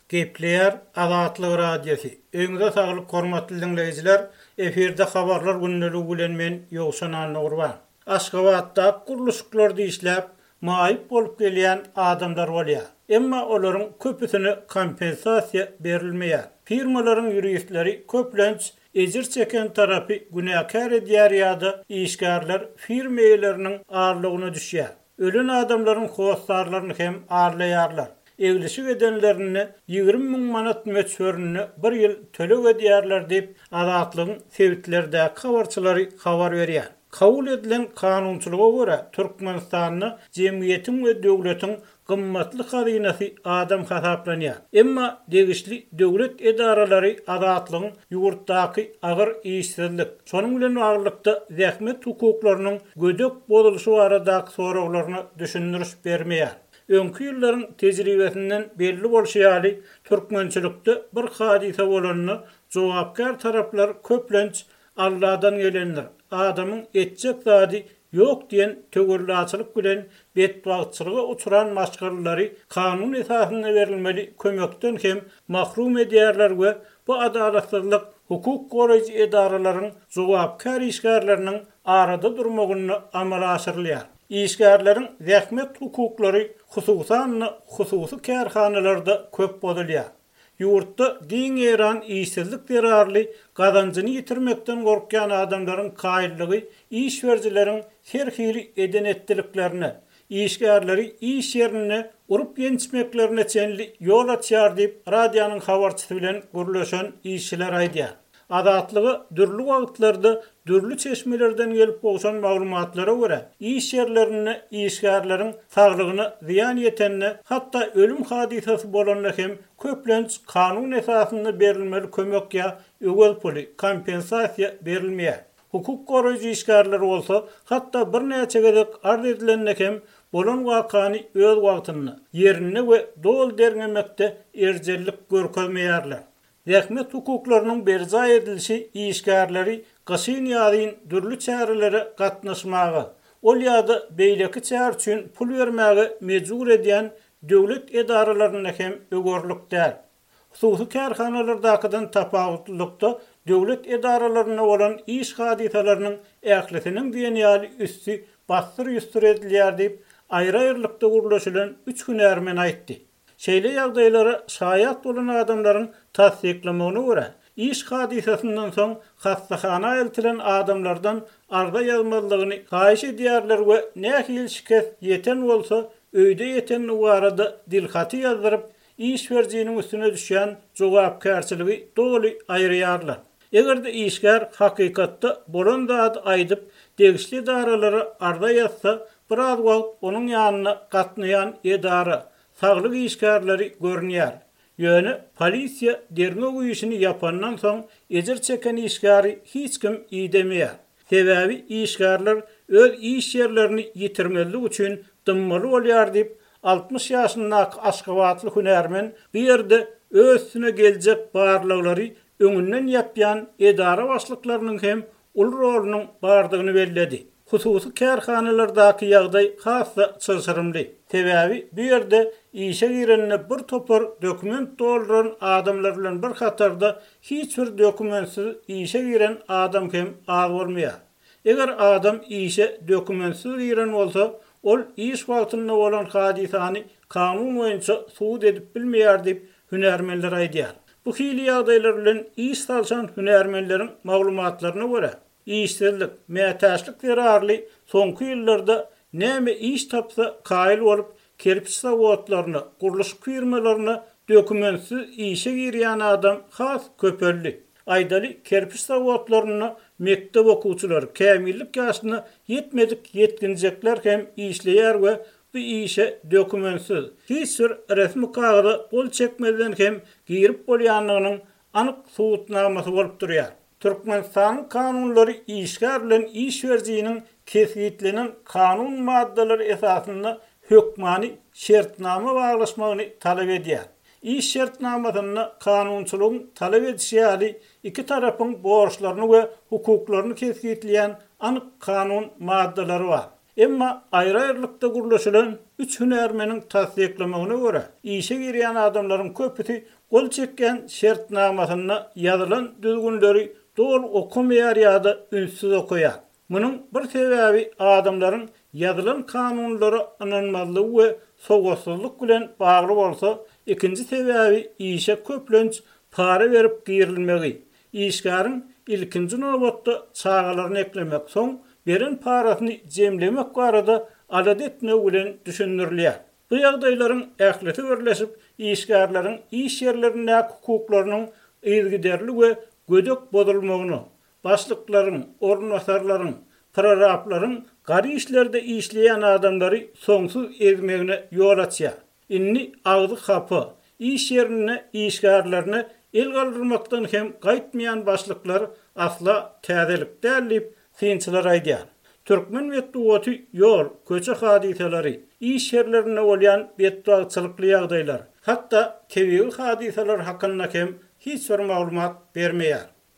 Gepleýär Azatlyk Radiosy. Öýüňize saglyk hormatly diňleýjiler! Efirde Habarlar gündeligi bilen men Ýowşan Annagurban. Aşgabatdaky gurluşyklarda işläp, maýyp bolup gelýän adamlar bolýar. Emma olaryň köpüsine kompensasiýa berilmeýär. Firmalaryň ýuristleri köplenç ejir çeken tarapy günäkär edýär ýa-da işgärler firma eýeleriniň aldawyna düşýär. Ölen adamlaryň hossarlaryny hem aldaýarlar. Eglişik edenlerinde 20 müň manat möçberinde bir ýyl töleg edýärler diýip, Azatlygyň sebitlerdäki habarçylary habar berýär. Kabul edilen kanunçylyga görä, Türkmenistanda jemgyýetiň we döwletiň gymmatly hazynasy adam hasaplanýar. Emma degişli döwlet edaralary Azatlygyň ýurtdaky agyr işsizlik, şonuň bilen baglylykda zähmet hukuklarynyň gödek bozulyşy baradaky soraglaryna düşündiriş bermeýär. Öňki ýyllaryň tejribesinden belli bolşy ýaly, türkmençilikde bir hadysa bolanda jogapkär taraplar köplenç Alladan gelendir, adamyň etjek zady ýok diýen töwellaçylyk bilen betbagtçylyga uçran maşgalalary kanun esasynda berilmeli kömekden hem mahrum edýärler we bu adalatsyzlyk hukuk goraýjy edaralaryň jogapkär işgärleriniň arada durmagynda amala aşyrylýar. Işgärleriň zähmet hukuklary hususan-da hususy kärhanalarda köp bozulýar. Ýurtda giň ýaýran işsizlik zerarly gazanjyny ýitirmekden gorkýan adamlaryň kaýyllygy iş berijileriň her hili eden-etdiliklerine, işgärleri iş ýerinde urup-ýençmeklerine çenli ýol açýar diýip, radionyň habarçysy bilen gürleşen işçiler aýdýar. Azatlyga dürli wagtlarda dürli çeşmelerden gelip gowşan maglumatlara görä, iş ýerlerinde işgärleriň saglygyna zyýan ýetende, hatda ölüm hadysasy bolanda hem köplenç kanun esasynda berilmeli kömek ýa öwez puly, kompensasiýa, berilmeýär. Hukuk goraýjy işgärler bolsa, hatda birnäçe gezek arz edilende hem bolan wakany öz wagtynda, ýerinde we doly derňemekde erjellik görkezmeýärler. Zähmet hukuklarynyň berjaý edilişi işgärleri gyşyn-ýazyn dürli çärelere gatnaşmaga, ol ýa-da beýleki çäre üçin pul bermäge mejbur edýän döwlet edaralarynda hem öwerlik däl. Hususy kärhanalardakydan tapawutlylykda döwlet edaralarynda bolan iş hadysalarynyň ählisiniň diýen ýaly üsti bassyr-ýustur edilýär diýip, aýry-aýrylykda gürleşilen üç hünärmen aýtdy. Şeýle ýagdaýlara şaýat bolan adamlaryň tassyklamagyna görä, iş hadysasyndan soň hassahana eltilen adamlardan arza ýazmazlygyny haýyş edýärler we nähili şikes ýeten bolsa, öýde ýetendigi barada dilhaty ýazdyryp, iş berijiniň üstüne düşýän jogapkärçiligi doly aýyrýarlar. Eger-de işgär hakykatda bolan zady aýdyp, degişli edaralara arza ýazsa, biraz wagt onuň ýanyna gatnaýan edara, saglyk işgärleri görünýär. Ýöne polisiýa derňew işini ýapandan soň ejir çeken işgäri hiç kim idemeýär. Sebäbi işgärler öz iş ýerlerini ýitirmezlik üçin dymmaly bolýar diýip, 60 ýaşyndaky aşgabatly hünärmen bu ýerde öz üstüne geljek barlaglary öňünden ýapýan edara başlyklarynyň hem uly rolunyň bardygyny belledi. Hususy kärhanalardaky ýagdaý has-da çylşyrymly. Sebäbi bu ýerde işe girende bir topar dokument dolduran adamlar bilen bir hatarda hiç bir dokumentsiz işe giren adam hem az bolmaýar. Eger adam işe dokumentsiz giren bolsa, ol iş wagtynda bolan hadysany kanun boýunça subut edip bilmeýär diýip, hünärmenler aýdýar. Bu hili ýagdaýlar bilen iş salşan hünärmenleriň maglumatlaryna görä, işsizlik, mätäçlik zerarly soňky ýyllarda näme iş tapsa kaýyl bolup, kerpiç zawodlaryna, gurluşyk firmalaryna dokumentsiz işe girýän adam has köpeldi. Aýdaly, kerpiç zawodlarynda mekdep okuwçylary, kämillik ýaşyna ýetmedik ýetginjekler hem işleýär we bu işe dokumentsiz, hiç bir resmi kagyza gol çekmezden hem girip bolýandygynyň anyk subutnamasy bolup durýar. Türkmenistanyň kanunlary işgär bilen iş berijiniň kesgitlenen kanun maddalary esasynda hökmany şertnama baglaşmagyny talap edýär. Iş şertnamasynda kanunçylygyň talap edişi ýaly iki tarapyň borçlaryny we hukuklaryny kesgitleýän anyk kanun maddalary bar. Emma aýry-aýrylykda gürleşilen üç hünärmeniň tassyklamagyna görä, işe girýän adamlaryň köpüsi gol çekýän şertnamasynda ýazylan düzgünleri doly okamaýar ýa-da ünssüz okaýar. Munuň bir sebäbi adamlaryň ýazylan kanunlara ynanmazlygy we sowatsyzlyk bilen bagly bolsa, ikinji sebäbi işe köplenç para berip girilmegi, işgäriň ilkinji nobatda çagalaryny eklemek, soň beren parasyny jemlemek barada alada etmegi bilen düşündirilýär. Bu ýagdaýlaryň ählisi birleşip, işgärleriň iş ýerlerindäki hukuklarynyň yzygiderli we gödek bozulmagyna, Başlyklaryň, orunbasarlaryň, prorablaryň gara işlerde işleýän adamlary soňsuz ezmegine ýol açýar. Indi agzy hapa, iş ýerinde işgärlerine el galdyrmakdan hem gaýtmaýan başlyklar asla täzelik däl diýip, synçylar aýdýar. Türkmen metbugaty ýol, köçe hadysalary, iş ýerlerinde bolýan betbagtçylykly ýagdaýlar, hatda tebigy hadysalar hakynda hem hiç bir maglumat bermeýär.